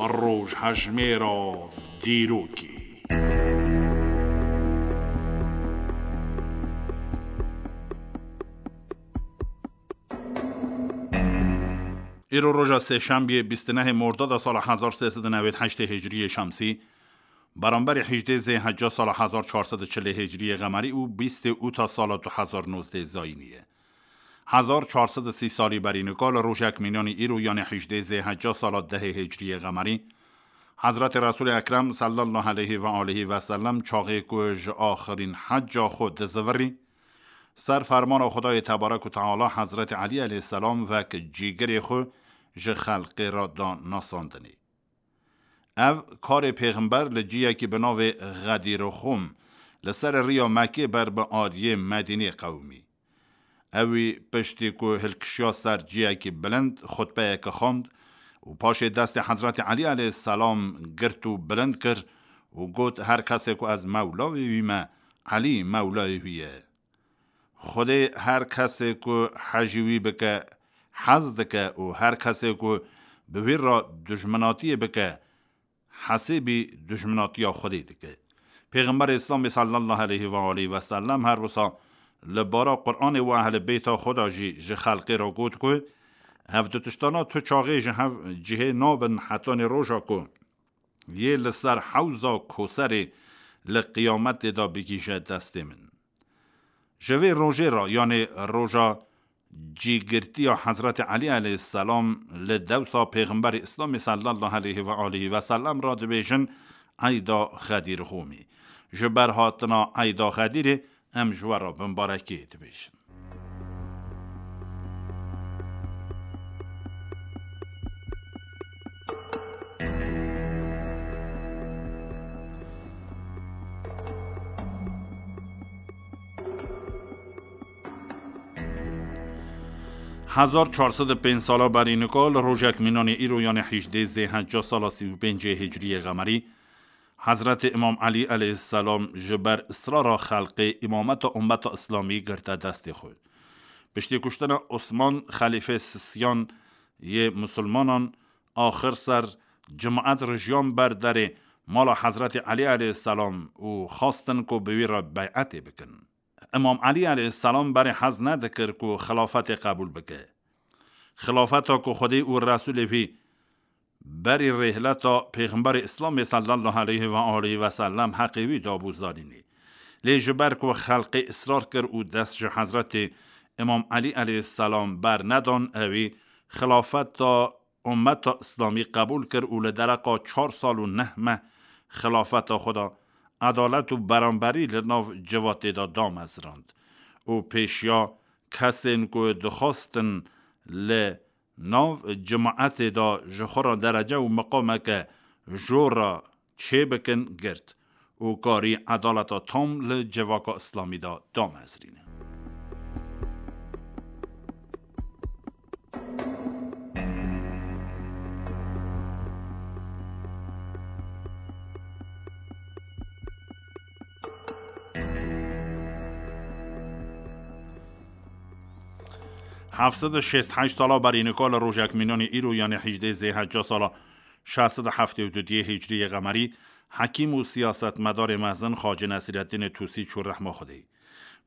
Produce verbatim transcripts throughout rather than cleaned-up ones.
Rojhejmêra dîrokê. Îro roja sêşembiyê bîst û nehê Mordada sala hezar sê sed û newêd heştê Hicriyê Şemsî, beramberî hejdê Zêhecca sala hezar çar sed û çilê Hicriyê Qemerî û bîstê Ûta sala du hezar nozdeh Zayînî ye. Hezar çar sed û sî salî berî nika li rojek mînanî îro, yanê hejdê Zêhecca sala dehê Hicriyê Qemerî, Hezretê Resûlê Ekrem sallallahu aleyhi ve aleyhi ve sellem çaxê ku ji axirîn hecca xwe dizivirî, ser fermana Xwedayê tebarek û teala Hezretê Elî aleyhisselam wek cîgirê xwe ji xelqê re da nasandinê. Ev karê pêxember li ciyekî bi navê Xedîrixûm li ser riya Mekkê ber bi aliyê Medînê qewimî. Ewî piştî ku hilkişiya ser ciyekî bilind, xutbeyeke xwend û paşê destê Hezretî Elî aleyhisselam girt û bilind kir û got, "Her kesê ku ez mewlayê wî me, Elî mewlayê wî ye." Xwedê her kesê ku hejî wî bike, hez dike û her kesê ku bi wî re dijminatiyê bike, hesêbî dijminatiya Xwedê dike. Pêxemberê Îslamê sallallahu aleyhi ve aleyhi ve sellem her wisa li bara Qur'anê û ehlê beyta xwe de jî ji xelkê re got ku, "Hev du tiştana tu çaxê ji hev cihê nabin hetanê roja ku yê li ser hewza Koserê li qiyametê de bigihîje destê min." Ji vê rojê re, yanê roja cîgirtiya Hezretî Elî aleyhisselam, li dewsa Pêxemberê Îslamê sallallahu aleyhi ve aleyhi ve sellem re dibêjin Eyda Xedîrxûmî. Ji ber hatina Eyda Xedîrê em ji we re bimbarekê dibêjin. Hezar çar sed û pênc sala berî nika li rojek mînanê îro, yanê hejdê Zêhecca sala sî û pêncê Hicriyê Qemerî, Hezretê Îmam Elî aleyhisselam ji ber israra xelkê îmameta ummeta Îslamî girte destê xwe. Piştî kuştina Osman, xelîfê sisiyan yê misilmanan, axir ser cimaet rijiyan ber derê mala Hezretî Elî aleyhisselam û xwestin ku bi wî re beyetê bikin. Îmam Elî aleyhisselam berê hez nedikir ku xilafetê qebûl bike. Xilafeta ku Xwedê û Resûlê wî berî rêhleta Pêxemberê Îslamê sallallahu aleyhi ve aleyhi ve sellem heqê wî dabû zanînê. Lê ji ber ku xelkê israr kir û dest ji Hezretê Îmam Elî aleyhisselam ber nedan, ewî xilafeta ummeta Îslamî qebûl kir û li dereqa çar sal û neh meh xilafeta xwe de edalet û beramberî li nav civatê de damezrand û pêşiya kesên ku dixwastin li nav cimaetê de ji xwe re derece û miqameke jor re çêbikin girt û karî edaleta tam li civaka Îslamî de damezrîne. Heft sed û şêst heşt sala berî nika li rojek mînanî îro, yanê hejdê Zêhecca sala şeş sed û heftê û du diyê Hicriyê Qemerî, hekîm û siyasetmedarê mezin Xacî Nesîreddînê Tûsî çû rehma Xwedê.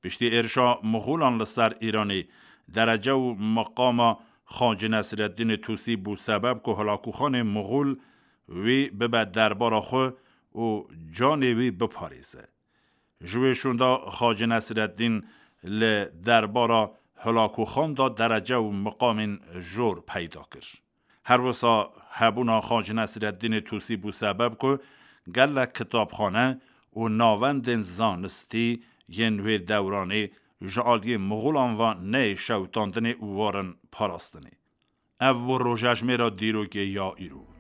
Piştî êrişa Mixûlan li ser Îranê, derece û miqama Xacî Nesîreddînê Tûsî bû sebeb ku hilakûxanê Mixûl wî bibe derbara xwe û canê wî biparêze. Ji wê şûnda Xacî Nesreddîn li derbara hilakûxan de derece û miqamên jor peyda kir. Her wisa hebûna Xacî Nesreddînê Tûsî bû sebeb ku gelek kitapxane û navendên zanistî yên wê dewranê ji aliyê Mixûlan ve neyê şewitandinê û warin parastinê. Ev bû rojejmêra dîrokê ya îro.